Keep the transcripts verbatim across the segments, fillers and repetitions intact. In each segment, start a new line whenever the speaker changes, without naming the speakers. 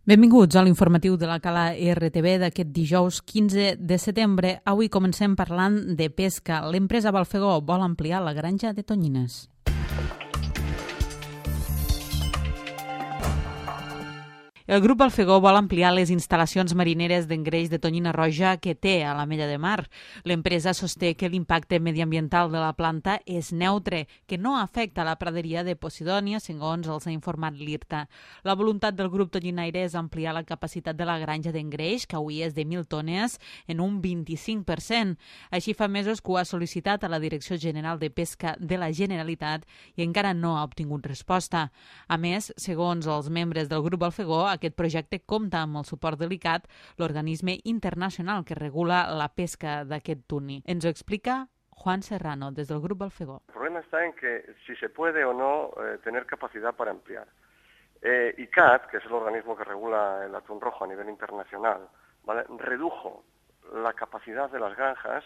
Benvinguts a l'informatiu de la Cala R T V d'aquest dijous quinze de setembre. Avui comencem parlant de pesca. L'empresa Balfegó vol ampliar la granja de tonyines. El grup Balfegó vol ampliar les instal·lacions marineres d'engreix de tonyina roja que té a la Mella de Mar. L'empresa sosté que l'impacte mediambiental de la planta és neutre, que no afecta la praderia de Posidònia, segons els ha informat l'IRTA. La voluntat del grup tonyinaire és ampliar la capacitat de la granja d'engreix, que avui és de mil tones, en un vint-i-cinc per cent. Així fa mesos que ho ha sol·licitat a la Direcció General de Pesca de la Generalitat i encara no ha obtingut resposta. A més, segons els membres del grup Balfegó, aquest projecte compta amb el suport de l'I C A T, l'organisme internacional que regula la pesca d'aquest tuni. Ens ho explica Juan Serrano, des del grup Balfegó.
El problema está en que si se puede o no eh, tener capacidad para ampliar. Eh, I C A T, que es el organismo que regula el atún rojo a nivel internacional, ¿vale?, redujo la capacidad de las granjas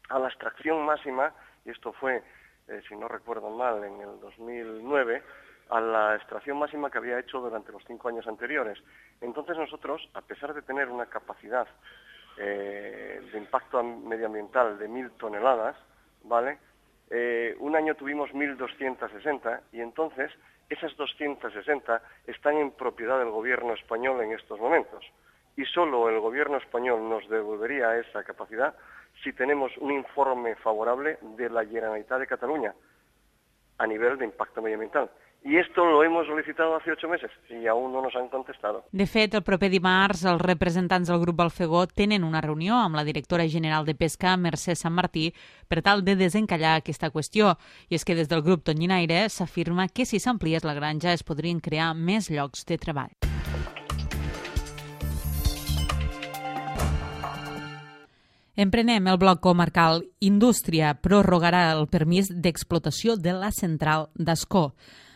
a la extracción máxima, y esto fue, eh, si no recuerdo mal, en el dos mil nueve, a la extracción máxima que había hecho durante los cinco años anteriores. Entonces nosotros, a pesar de tener una capacidad eh, de impacto medioambiental de mil toneladas, ¿vale?, eh, un año tuvimos mil doscientos sesenta y entonces esas doscientos sesenta están en propiedad del gobierno español en estos momentos. Y solo el gobierno español nos devolvería esa capacidad si tenemos un informe favorable de la Generalitat de Cataluña a nivel de impacto medioambiental. I esto lo hemos solicitado hace ocho meses y aún no nos han contestado.
De fet, el proper dimarts, els representants del grup Balfegó tenen una reunió amb la directora general de Pesca, Mercè Sant Martí, per tal de desencallar aquesta qüestió. I és que des del grup tonyinaire s'afirma que si s'ampliés la granja es podrien crear més llocs de treball. Emprenem el bloc comarcal. Indústria prorrogarà el permís d'explotació de la central d'Ascó.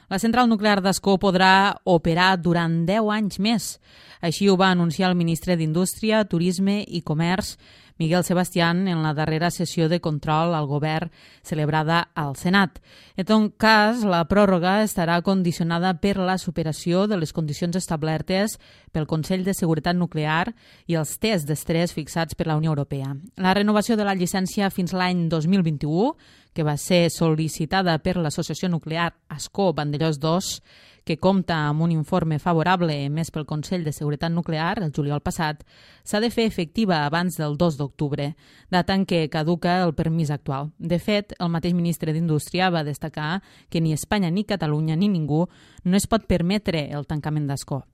La central nuclear d'Ascó podrà operar durant deu anys més. Així ho va anunciar el ministre d'Indústria, Turisme i Comerç, Miguel Sebastián, en la darrera sessió de control al govern celebrada al Senat. En tot cas, la pròrroga estarà condicionada per la superació de les condicions establertes pel Consell de Seguretat Nuclear i els tests d'estrès fixats per la Unió Europea. La renovació de la llicència fins l'any dos mil vint-i-u, que va ser sol·licitada per l'Associació Nuclear Ascó Vandellòs dos, que compta amb un informe favorable emès pel Consell de Seguretat Nuclear el juliol passat, s'ha de fer efectiva abans del dos d'octubre, data en què caduca el permís actual. De fet, el mateix ministre d'Indústria va destacar que ni Espanya ni Catalunya ni ningú no es pot permetre el tancament d'Ascó.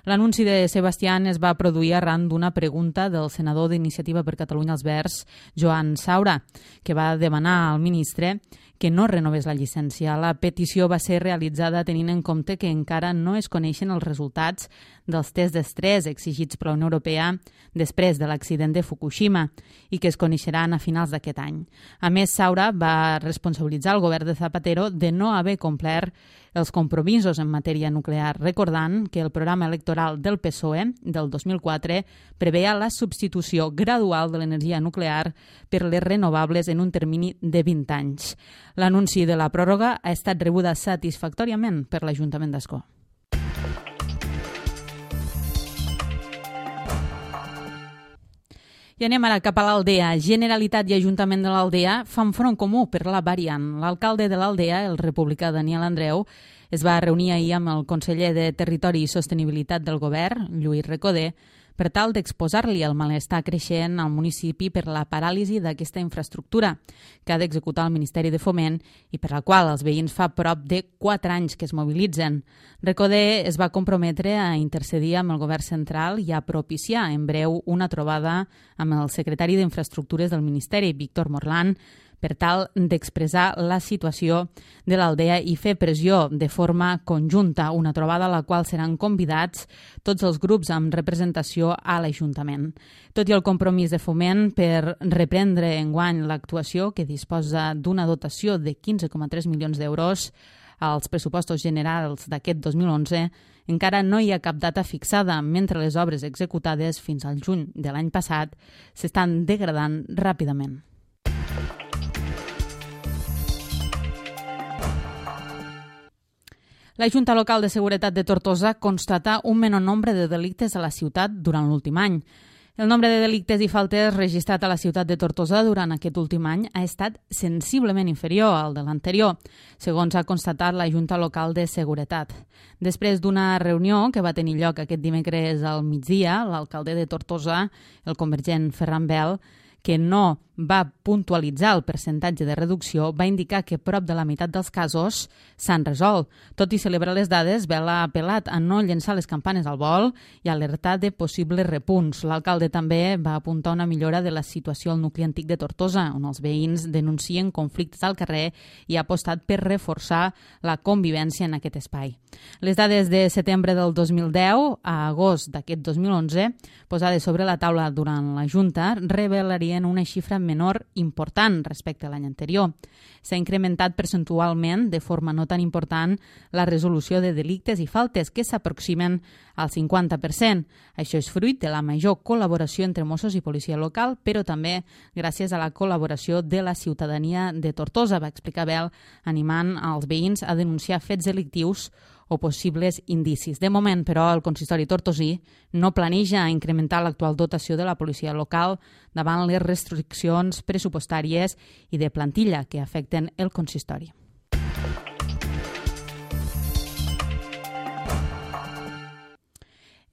L'anunci de Sebastián es va produir arran d'una pregunta del senador d'Iniciativa per Catalunya als Verds, Joan Saura, que va demanar al ministre que no renovés la llicència. La petició va ser realitzada tenint en compte que encara no es coneixen els resultats dels tests d'estrès exigits per la Unió Europea després de l'accident de Fukushima i que es coneixeran a finals d'aquest any. A més, Saura va responsabilitzar el govern de Zapatero de no haver complert els compromisos en matèria nuclear, recordant que el programa electoral del P S O E del dos mil quatre preveia la substitució gradual de l'energia nuclear per les renovables en un termini de vint anys. L'anunci de la pròrroga ha estat rebuda satisfactòriament per l'Ajuntament d'Ascó. I anem ara cap a l'Aldea. Generalitat i Ajuntament de l'Aldea fan front comú per la variant. L'alcalde de l'Aldea, el republicà Daniel Andreu, es va reunir ahir amb el conseller de Territori i Sostenibilitat del govern, Lluís Recoder, per tal d'exposar-li el malestar creixent al municipi per la paràlisi d'aquesta infraestructura que ha d'executar el Ministeri de Foment i per la qual els veïns fa prop de quatre anys que es mobilitzen. Recoder es va comprometre a intercedir amb el govern central i a propiciar en breu una trobada amb el secretari d'Infraestructures del Ministeri, Víctor Morlán, per tal d'expressar la situació de l'Aldea i fer pressió de forma conjunta, una trobada a la qual seran convidats tots els grups amb representació a l'Ajuntament. Tot i el compromís de Foment per reprendre enguany l'actuació, que disposa d'una dotació de quinze coma tres milions d'euros als pressupostos generals d'aquest dos mil onze, encara no hi ha cap data fixada, mentre les obres executades fins al juny de l'any passat s'estan degradant ràpidament. La Junta Local de Seguretat de Tortosa constata un menor nombre de delictes a la ciutat durant l'últim any. El nombre de delictes i faltes registrat a la ciutat de Tortosa durant aquest últim any ha estat sensiblement inferior al de l'anterior, segons ha constatat la Junta Local de Seguretat. Després d'una reunió que va tenir lloc aquest dimecres al migdia, l'alcalde de Tortosa, el convergent Ferran Bel, que no va puntualitzar el percentatge de reducció, va indicar que prop de la meitat dels casos s'han resolt. Tot i celebrar les dades, Bel ha apel·lat a no llençar les campanes al vol i alertar de possibles repunts. L'alcalde també va apuntar una millora de la situació al nucli antic de Tortosa, on els veïns denuncien conflictes al carrer i ha apostat per reforçar la convivència en aquest espai. Les dades de setembre del dos mil deu a agost d'aquest dos mil onze, posades sobre la taula durant la Junta, revelarien una xifra menor important respecte a l'any anterior. S'ha incrementat percentualment, de forma no tan important, la resolució de delictes i faltes, que s'aproximen al cinquanta per cent. Això és fruit de la major col·laboració entre Mossos i policia local, però també gràcies a la col·laboració de la ciutadania de Tortosa, va explicar Bel, animant als veïns a denunciar fets delictius o possibles indicis. De moment, però, el consistori tortosí no planeja incrementar l'actual dotació de la policia local davant les restriccions pressupostàries i de plantilla que afecten el consistori.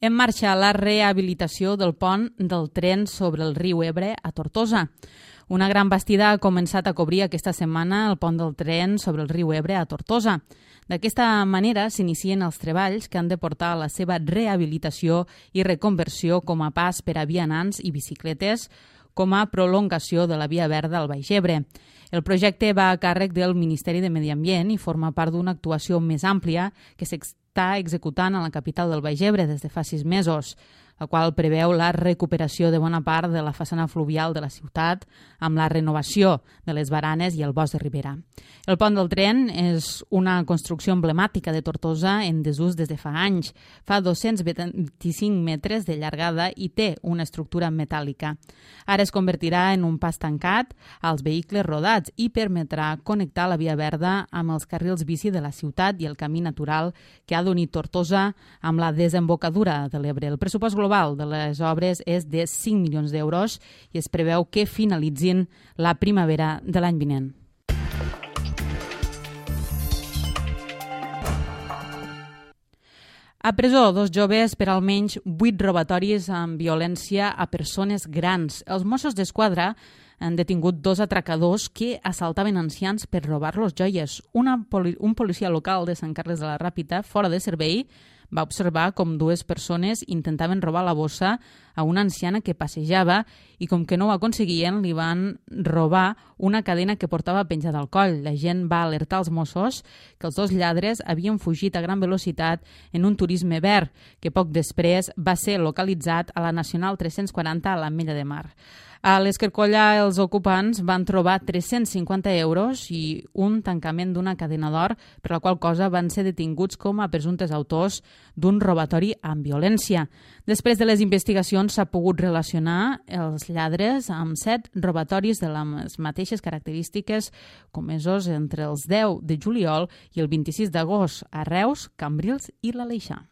En marxa la rehabilitació del pont del tren sobre el riu Ebre a Tortosa. Una gran bastida ha començat a cobrir aquesta setmana el pont del tren sobre el riu Ebre a Tortosa. D'aquesta manera s'inicien els treballs que han de portar a la seva rehabilitació i reconversió com a pas per a vianants i bicicletes, com a prolongació de la via verda al Baix Ebre. El projecte va a càrrec del Ministeri de Medi Ambient i forma part d'una actuació més àmplia que s'està executant a la capital del Baix Ebre des de fa sis mesos, la qual preveu la recuperació de bona part de la façana fluvial de la ciutat amb la renovació de les baranes i el bosc de ribera. El pont del tren és una construcció emblemàtica de Tortosa en desús des de fa anys. Fa dos-cents vint-i-cinc metres de llargada i té una estructura metàl·lica. Ara es convertirà en un pas tancat als vehicles rodats i permetrà connectar la via verda amb els carrils bici de la ciutat i el camí natural que ha d'unir Tortosa amb la desembocadura de l'Ebre. El pressupost global de les obres és de cinc milions d'euros i es preveu que finalitzin la primavera de l'any vinent. A presó, dos joves per almenys vuit robatoris amb violència a persones grans. Els Mossos d'Esquadra han detingut dos atracadors que assaltaven ancians per robar-los joies. Una, un policia local de Sant Carles de la Ràpita, fora de servei, va observar com dues persones intentaven robar la bossa a una anciana que passejava i com que no ho aconseguien li van robar una cadena que portava penjada al coll. La gent va alertar als Mossos que els dos lladres havien fugit a gran velocitat en un turisme verd que poc després va ser localitzat a la Nacional tres-cents quaranta a l'Ametlla de Mar. A l'Escarcolla els ocupants van trobar tres-cents cinquanta euros i un tancament d'una cadena d'or, per la qual cosa van ser detinguts com a presumptes autors d'un robatori amb violència. Després de les investigacions s'ha pogut relacionar els lladres amb set robatoris de les mateixes característiques comesos entre els deu de juliol i el vint-i-sis d'agost a Reus, Cambrils i l'Aleixar.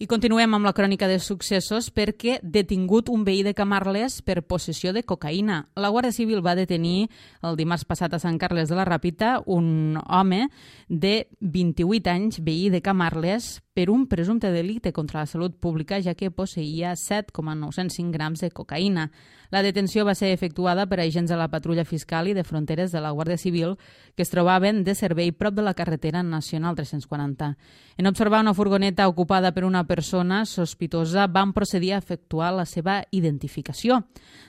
I continuem amb la crònica de successos perquè detingut un veí de Camarles per possessió de cocaïna. La Guàrdia Civil va detenir el dimarts passat a Sant Carles de la Ràpita un home de vint-i-vuit anys, veí de Camarles, per un presumpte delicte contra la salut pública, ja que posseïa set coma nou-cents cinc grams de cocaïna. La detenció va ser efectuada per agents de la Patrulla Fiscal i de Fronteres de la Guàrdia Civil que es trobaven de servei prop de la carretera nacional tres-cents quaranta. En observar una furgoneta ocupada per una persona sospitosa, van procedir a efectuar la seva identificació.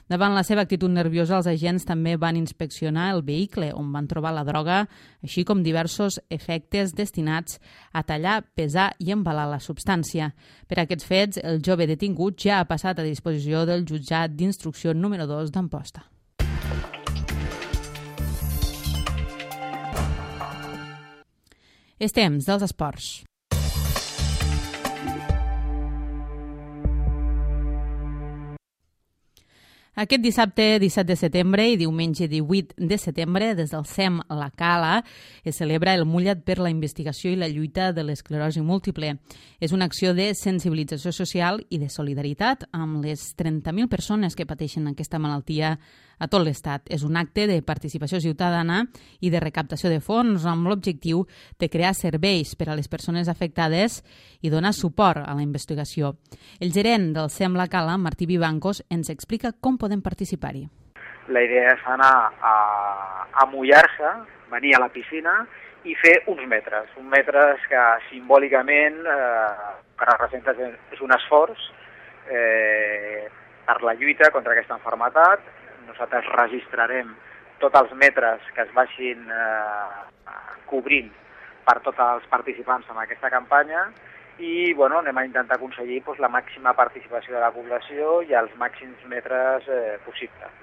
Davant la seva actitud nerviosa, els agents també van inspeccionar el vehicle, on van trobar la droga, així com diversos efectes destinats a tallar, pesar i embalar la substància. Per aquests fets, el jove detingut ja ha passat a disposició del jutjat d'instrucció número dos d'Amposta. És temps dels esports. Aquest dissabte disset de setembre i diumenge divuit de setembre, des del C E M La Cala, es celebra el Mullat per la investigació i la lluita de l'esclerosi múltiple. És una acció de sensibilització social i de solidaritat amb les trenta mil persones que pateixen aquesta malaltia a tot l'Estat. És un acte de participació ciutadana i de recaptació de fons amb l'objectiu de crear serveis per a les persones afectades i donar suport a la investigació. El gerent del C E M La Cala, Martí Vivancos, ens explica com podem participar-hi.
La idea és anar a, a mullar-se, venir a la piscina i fer uns metres, uns metres que simbòlicament eh, que representa és un esforç eh, per la lluita contra aquesta malaltia. Nosaltres registrarem tots els metres que es vagin eh, cobrint per tots els participants en aquesta campanya i bueno, anem a intentar aconseguir doncs, la màxima participació de la població i els màxims metres eh, possibles.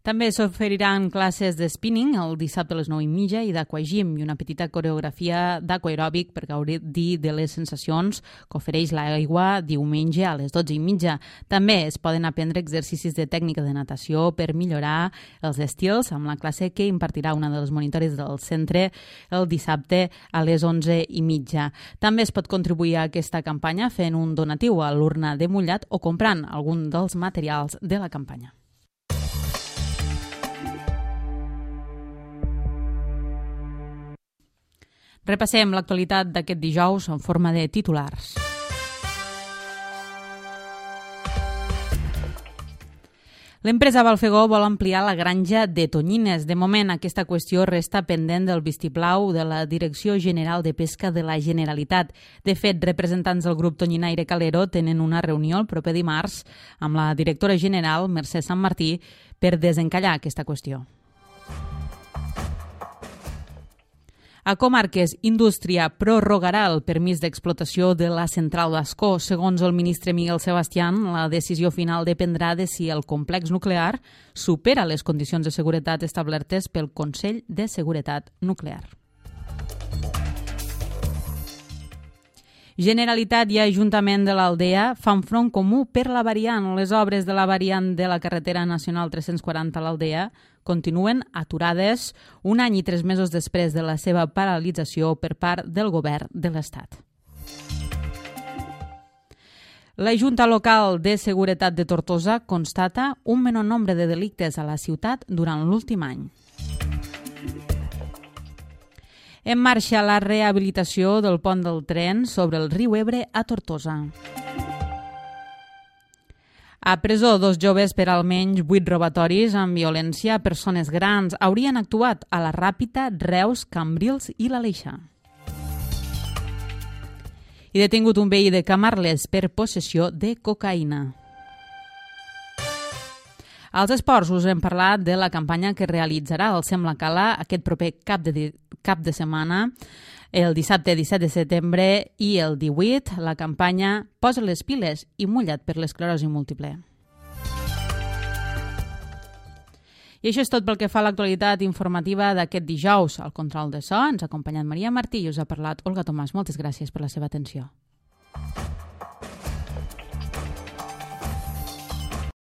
També s'oferiran classes de spinning el dissabte a les nou i mitja i d'aquagym i una petita coreografia d'aquaeròbic per gaudir de les sensacions que ofereix l'aigua diumenge a les dotze i mitja. També es poden aprendre exercicis de tècnica de natació per millorar els estils amb la classe que impartirà una de les monitores del centre el dissabte a les onze i mitja. També es pot contribuir a aquesta campanya fent un donatiu a l'urna de mullat o comprant algun dels materials de la campanya. Repassem l'actualitat d'aquest dijous en forma de titulars. L'empresa Balfegó vol ampliar la granja de tonyines. De moment, aquesta qüestió resta pendent del vistiplau de la Direcció General de Pesca de la Generalitat. De fet, representants del grup tonyinaire Calero tenen una reunió el proper dimarts amb la directora general, Mercè Sant Martí, per desencallar aquesta qüestió. A Comarques, Indústria prorrogarà el permís d'explotació de la central d'Ascó. Segons el ministre Miguel Sebastián, la decisió final dependrà de si el complex nuclear supera les condicions de seguretat establertes pel Consell de Seguretat Nuclear. Generalitat i Ajuntament de l'Aldea fan front comú per la variant. Les obres de la variant de la carretera nacional tres-cents quaranta a l'Aldea continuen aturades un any i tres mesos després de la seva paralització per part del govern de l'Estat. La Junta Local de Seguretat de Tortosa constata un menor nombre de delictes a la ciutat durant l'últim any. En marxa la rehabilitació del pont del tren sobre el riu Ebre a Tortosa. A presó, dos joves per almenys vuit robatoris amb violència a persones grans haurien actuat a la Ràpita, Reus, Cambrils i l'Aleixar. I detingut un veí de Camarles per possessió de cocaïna. Als esports us hem parlat de la campanya que realitzarà el C E M La Cala aquest proper cap de, cap de setmana, el dissabte disset de setembre i el divuit, la campanya Posa les piles i mulla't per l'esclerosi múltiple. I això és tot pel que fa a l'actualitat informativa d'aquest dijous. Al control de so ens ha acompanyat Maria Martí i us ha parlat Olga Tomàs. Moltes gràcies per la seva atenció.